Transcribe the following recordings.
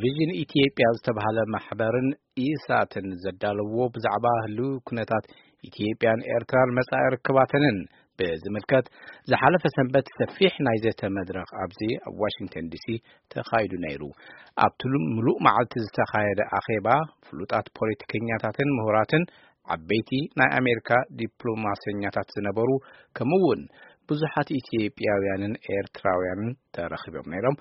ቪዥን ኢትዮጵያ ዝተባህለ ማሕበርን ኢሳትን ዘዳለዎ ብዛዕባ ህልው ኩነታት ኢትዮጵያን ኤርትራን መጻኢ ርክባተንን ብዝምልከት ዝሓለፈ ሰንበት ሰፊሕ ናይ ዘተ መድረኽ ኣብዚ ኣብ ዋሽንግተን ዲሲ ተኻይዱ ነይሩ። ኣብቲ ሉ-፣ ምሉእ መዓልቲ ዝተኻየደ ኣኼባ ፍሉጣት ፖለቲከኛታትን ምሁራትን ዓበይቲ ናይ ኣሜሪካ ዲፕሎማሰኛታት ዝነበሩ ከምኡ እውን ብዙሓት ኢትዮጵያውያንን ኤርትራውያንን ተረኺቦም ነይሮም።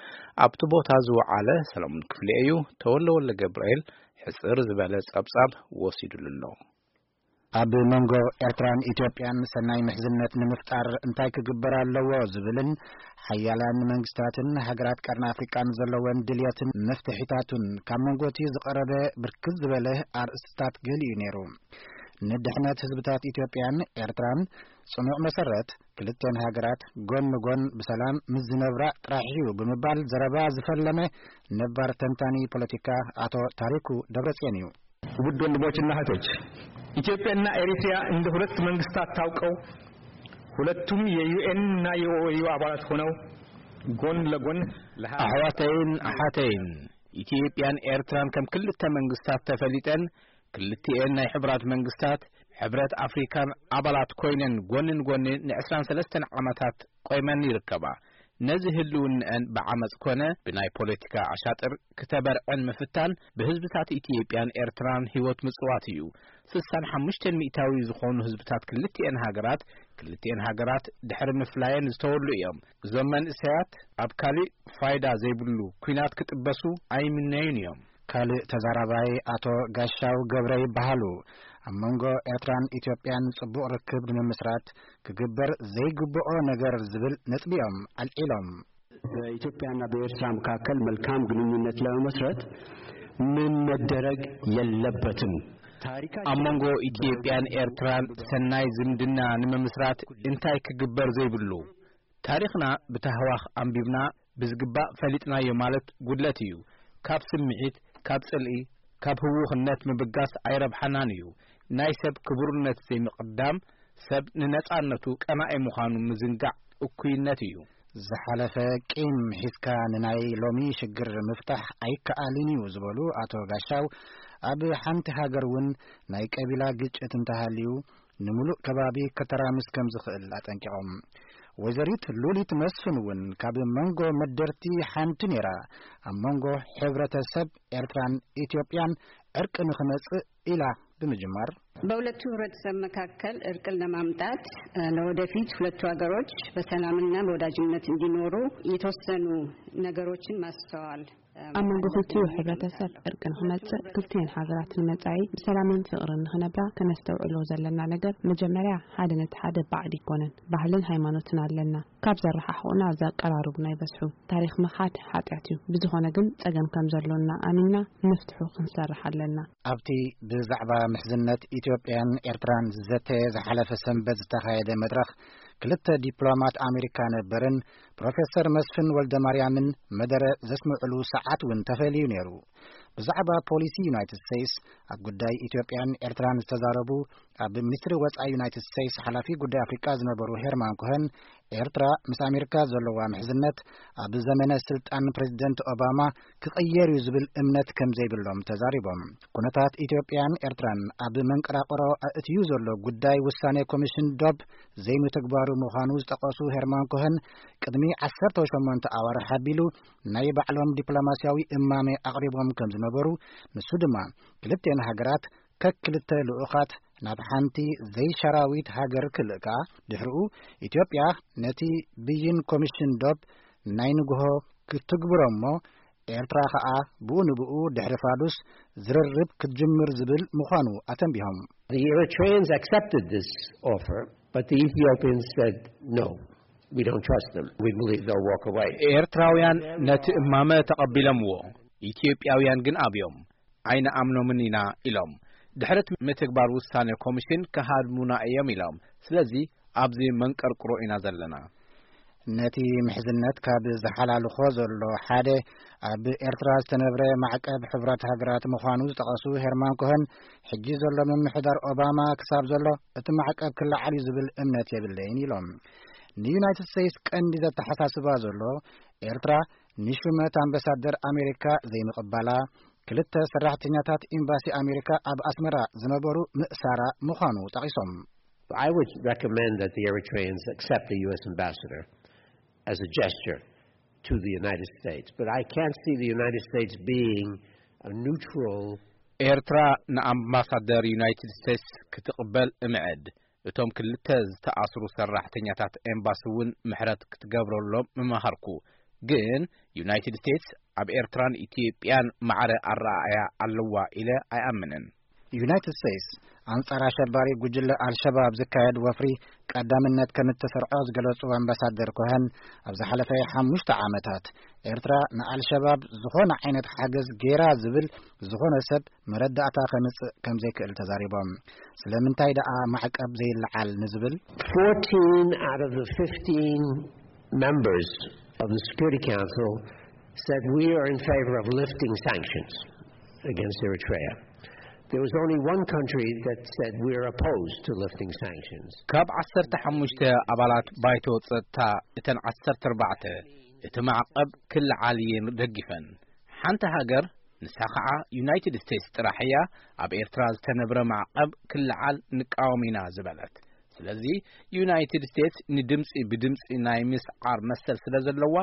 ኣብቲ ቦታ ዝወዓለ ሰለሙን ክፍሌ እዩ። ተወልደ ወልደ ገብርኤል ሕጽር ዝበለ ጸብጻብ ወሲዱሉ ኣሎ። ኣብ መንጎ ኤርትራን ኢትዮጵያን ሰናይ ምሕዝነት ንምፍጣር እንታይ ክግበር ኣለዎ ዝብልን ሓያላን መንግስታትን ሃገራት ቀርኒ ኣፍሪቃን ዘለወን ድልየትን መፍትሒታቱን ካብ መንጎ እቲ ዝቐረበ ብርክት ዝበለ ኣርእስትታት ገሊኡ ነይሩ። ንድሕነት ህዝብታት ኢትዮጵያን ኤርትራን ጽኑዕ መሰረት ክልተን ሃገራት ጎን ንጎን ብሰላም ምስ ዝነብራ ጥራሕ እዩ ብምባል ዘረባ ዝፈለመ ነባር ተንታኒ ፖለቲካ ኣቶ ታሪኩ ደብረጽዮን እዩ። ውድ ወንድሞችና እህቶች፣ ኢትዮጵያና ኤሪትሪያ እንደ ሁለት መንግስታት ታውቀው ሁለቱም የዩኤን እና የኦኤዩ አባላት ሆነው ጎን ለጎን ለሀ- ኣሕዋተይን ኣሓተይን፣ ኢትዮጵያን ኤርትራን ከም ክልተ መንግስታት ተፈሊጠን፣ ክልቲኤን ናይ ሕቡራት መንግስታት ሕብረት ኣፍሪካን ኣባላት ኮይነን ጎኒ ንጎኒ ንዕስራን ሰለስተን ዓመታት ቆይመን ይርከባ። ነዚ ህልውንአን ብዓመፅ ኮነ ብናይ ፖለቲካ ኣሻጥር ክተበርዐን ምፍታን ብህዝብታት ኢትዮጵያን ኤርትራን ህይወት ምጽዋት እዩ። ስሳን ሓሙሽተን ሚእታዊ ዝኾኑ ህዝብታት ክልቲኤን ሃገራት፣ ክልቲኤን ሃገራት ድሕሪ ምፍላየን ዝተወሉ እዮም። እዞም መንእሰያት ኣብ ካሊእ ፋይዳ ዘይብሉ ኲናት ክጥበሱ ኣይምነዩን እዮም። ካልእ ተዛራባይ ኣቶ ጋሻው ገብረ ይበሃሉ። ኣብ መንጎ ኤርትራን ኢትዮጵያን ጽቡቕ ርክብ ንምምስራት ክግበር ዘይግብኦ ነገር ዝብል ነጥቢ እዮም ኣልዒሎም። በኢትዮጵያና በኤርትራ መካከል መልካም ግንኙነት ለመመስረት ምን መደረግ የለበትም። ታሪካችን ኣብ መንጎ ኢትዮጵያን ኤርትራን ሰናይ ዝምድና ንምምስራት እንታይ ክግበር ዘይብሉ? ታሪኽና ብታህዋኽ ኣንቢብና ብዝግባእ ፈሊጥናዮ ማለት ጉድለት እዩ። ካብ ስምዒት፣ ካብ ጽልኢ፣ ካብ ህውኽነት ምብጋስ ኣይረብሓናን እዩ። ናይ ሰብ ክቡርነት ዘይምቕዳም፣ ሰብ ንነጻነቱ ቀናኢ ምዃኑ ምዝንጋዕ እኩይነት እዩ። ዝሓለፈ ቂም ሒዝካ ንናይ ሎሚ ሽግር ምፍታሕ ኣይከኣልን እዩ ዝበሉ ኣቶ ጋሻው፣ ኣብ ሓንቲ ሃገር እውን ናይ ቀቢላ ግጭት እንተሃልዩ፣ ንምሉእ ከባቢ ከተራምስ ከም ዝኽእል ኣጠንቂቖም። ወይዘሪት ሉሊት መስፍን እውን ካብ መንጎ መደርቲ ሓንቲ ነይራ። ኣብ መንጎ ሕብረተሰብ ኤርትራን ኢትዮጵያን ዕርቂ ንኽመጽእ ኢላ ብምጅማር፣ በሁለቱ ህብረተሰብ መካከል እርቅን ለማምጣት፣ እ፣ ለወደፊት ሁለቱ ሀገሮች በሰላምና በወዳጅነት እንዲኖሩ የተወሰኑ ነገሮችን ማስተዋል፣ እ፣ ኣብ መንጎ ክልቲኡ ማስተዋል ሕብረተሰብ እፈልጋለሁ። እርቂ ንኽመጽእ፣ ክልቲኤን ሃገራት ንመጻኢ ብሰላምን ፍቕርን ንኽነብራ ከነስተውዕሎ ዘለና ነገር፣ መጀመርያ ሓደ ነቲ ሓደ ባዕድ ኣይኮነን። ባህልን ሃይማኖትን ኣለና። ካብ ዘረሓሕቑና ዘቀራርቡና ይበዝሑ። ታሪኽ ምኻድ ሓጢኣት እዩ። ብዝኾነ ግን ጸገም ከም ዘሎና ኣሚንና ንፍትሑ ክንሰርሕ ኣለና። ኣብቲ ብዛዕባ ምሕዝነት ኢትዮጵያን ኤርትራን ዝዘተየ ዝሓለፈ ሰንበት ዝተኻየደ መድረኽ፣ ክልተ ዲፕሎማት ኣሜሪካ ነበርን ፕሮፌሰር መስፍን ወልደማርያምን መደረ ዘስምዕሉ ሰዓት እውን ተፈልዩ ነይሩ። ብዛዕባ ፖሊሲ ዩናይትድ ስቴትስ ኣብ ጉዳይ ኢትዮጵያን ኤርትራን ዝተዛረቡ ኣብ ሚኒስትሪ ወጻኢ ዩናይትድ ስቴትስ ሓላፊ ጉዳይ ኣፍሪቃ ዝነበሩ ሄርማን ኮኸን፣ ኤርትራ ምስ ኣሜሪካ ዘለዋ ምሕዝነት ኣብ ዘመነ ስልጣን ፕሬዚደንት ኦባማ ክቕየር እዩ ዝብል እምነት ከም ዘይብሎም ተዛሪቦም። ኩነታት ኢትዮጵያን ኤርትራን ኣብ መንቀራቕሮ ኣእትዩ ዘሎ ጉዳይ ውሳኔ ኮሚሽን ዶብ ዘይምትግባሩ ምዃኑ ዝጠቐሱ ሄርማን ኮኸን፣ ቅድሚ ዓሰርተ ሸሞንተ ኣዋርሕ ኣቢሉ ናይ ባዕሎም ዲፕሎማስያዊ እማመ ኣቕሪቦም ከም ዝነበሩ፣ ንሱ ድማ ክልቴን ሃገራት ከክልተ ልኡኻት ናብ ሓንቲ ዘይሻራዊት ሃገር ክልእካ፣ ድሕሪኡ ኢትዮጵያ ነቲ ብይን ኮሚሽን ዶብ ናይ ንግሆ ክትግብሮ እሞ፣ ኤርትራ ኸኣ ብኡ ንብኡ ድሕሪ ፋዱስ ዝርርብ ክትጅምር ዝብል ምዃኑ ኣተንቢሆም። The Eritreans accepted this offer, but the Ethiopians said, "No, we don't trust them. We believe they'll walk away." ኤርትራውያን ነቲ እማመ ተቐቢሎምዎ፣ ኢትዮጵያውያን ግን ኣብዮም። ኣይንኣምኖምን ኢና ኢሎም። ድሕሪ እቲ ምትግባር ውሳነ ኮሚሽን ክሃድሙና እዮም ኢሎም። ስለዚ ኣብዚ መንቀርቅሮ ኢና ዘለና። ነቲ ምሕዝነት ካብ ዝሓላልኾ ዘሎ ሓደ ኣብ ኤርትራ ዝተነብረ ማዕቀብ ሕቡራት ሃገራት ምዃኑ ዝጠቐሱ ሄርማን ኮኸን፣ ሕጂ ዘሎ ምምሕዳር ኦባማ ክሳብ ዘሎ እቲ ማዕቀብ ክለዓል እዩ ዝብል እምነት የብለይን ኢሎም። ንዩናይትድ ስቴትስ ቀንዲ ዘተሓሳስባ ዘሎ ኤርትራ ንሹመት ኣምባሳደር ኣሜሪካ ዘይምቕባላ፣ ክልተ ሰራሕተኛታት ኤምባሲ ኣሜሪካ ኣብ ኣስመራ ዝነበሩ ምእሳራ ምዃኑ ጠቒሶም። I would recommend that the Eritreans accept the U S ambassador as a gesture to the United States, but I can't see the United States being a neutral. ኤርትራ ንኣምባሳደር ዩናይትድ ስቴትስ ክትቕበል እምዕድ። እቶም ክልተ ዝተኣስሩ ሰራሕተኛታት ኤምባሲ እውን ምሕረት ክትገብረሎም ምመሃርኩ። ግን ዩናይትድ ስቴትስ ኣብ ኤርትራን ኢትዮጵያን ማዕረ ኣረኣእያ ኣለዋ ኢለ ኣይኣምንን። ዩናይትድ ስቴትስ ኣንጻር ኣሸባሪ ጉጅለ ኣልሸባብ ዝካየድ ወፍሪ ቀዳምነት ከም እተሰርዖ ዝገለጹ ኣምባሳደር ኮሀን፣ ኣብ ዝሓለፈ ሓሙሽተ ዓመታት ኤርትራ ንኣልሸባብ ዝኾነ ዓይነት ሓገዝ ጌራ ዝብል ዝኾነ ሰብ መረዳእታ ከምጽእ ከም ዘይክእል ተዛሪቦም። ስለምንታይ ደኣ ማዕቀብ ዘይለዓል ንዝብል፣ fourteen out of the fifteen members of the Security Council said we are in favor of lifting sanctions against Eritrea. There was only one country that said we are opposed to lifting sanctions. ካብ ዓሰርተ ሓሙሽተ ኣባላት ባይቶ ጸጥታ፣ እተን ዓሰርተ ኣርባዕተ እቲ ማዕቐብ ክለዓል እየን ደጊፈን። ሓንቲ ሃገር፣ ንሳ ኸዓ ዩናይትድ ስቴትስ ጥራሕ እያ፣ ኣብ ኤርትራ ዝተነብረ ማዕቐብ ክለዓል ንቃወም ኢና ዝበለት። ስለዚ ዩናይትድ ስቴትስ ንድምፂ ብድምፂ ናይ ምስዓር መሰል ስለ ዘለዋ፣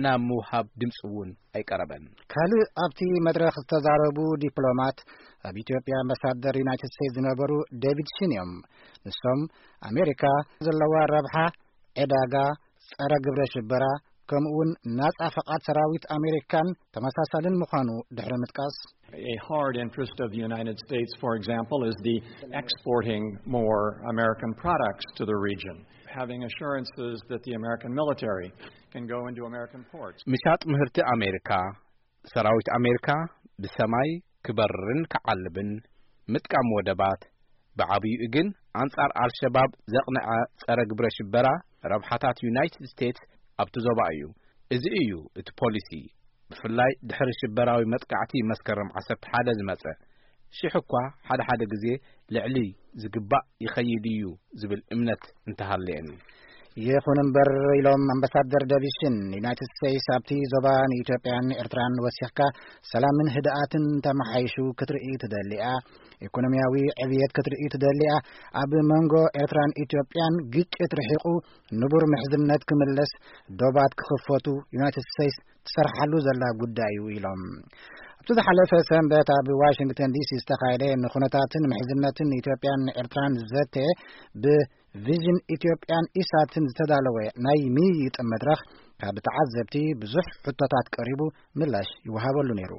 ናብ ምውሃብ ድምፂ እውን ኣይቀረበን። ካልእ ኣብቲ መድረኽ ዝተዛረቡ ዲፕሎማት፣ ኣብ ኢትዮጵያ ኣምባሳደር ዩናይትድ ስቴትስ ዝነበሩ ዴቪድ ሽን እዮም። ንሶም፣ ኣሜሪካ ዘለዋ ረብሓ፣ ዕዳጋ፣ ጸረ ግብረ ሽበራ፣ ከምኡውን ናጻ ፈቓድ ሰራዊት ኣሜሪካን ተመሳሳልን ምዃኑ ድሕሪ ምጥቃስ፣ A hard interest of the United States, for example, is the exporting more American products to the region, having assurances that the American military can go into American ports. ምሻጥ ምህርቲ ኣሜሪካ፣ ሰራዊት ኣሜሪካ ብሰማይ ክበርርን ክዓልብን፣ ምጥቃም ወደባት፣ ብዓብይኡ ግን ኣንጻር ኣልሸባብ ዘቕንዐ ጸረ ግብረ ሽበራ ረብሓታት ዩናይትድ ስቴትስ ኣብቲ ዞባ እዩ። እዚ እዩ እቲ ፖሊሲ፣ ብፍላይ ድሕሪ ሽበራዊ መጥቃዕቲ መስከረም ዓሰርተ ሓደ ዝመጸ። ሽሕ እኳ ሓደ ሓደ ግዜ ልዕሊ ዝግባእ ይኸይድ እዩ ዝብል እምነት እንተሃለየኒ። ይኹን እምበር፣ ኢሎም ኣምባሳደር ዴቪድ ሽን፣ ዩናይትድ ስቴትስ ኣብቲ ዞባ ንኢትዮጵያን ኤርትራን ወሲኽካ ሰላምን ህድኣትን ተመሓይሹ ክትርኢ ትደሊ እያ። ኢኮኖሚያዊ ዕብየት ክትርኢ ትደሊ እያ። ኣብ መንጎ ኤርትራን ኢትዮጵያን ግጭት ርሒቑ ንቡር ምሕዝነት ክምለስ፣ ዶባት ክኽፈቱ ዩናይትድ ስቴትስ ትሰርሓሉ ዘላ ጉዳይ እዩ ኢሎም። ኣብቲ ዝሓለፈ ሰንበት ኣብ ዋሽንግተን ዲሲ ዝተኻየደ ንኹነታትን ምሕዝነትን ኢትዮጵያን ኤርትራን ዘተ ብቪዥን ኢትዮጵያን ኢሳትን ዝተዳለወ ናይ ምይይጥ መድረኽ፣ ካብ ተዓዘብቲ ብዙሕ ሕቶታት ቀሪቡ ምላሽ ይወሃበሉ ነይሩ።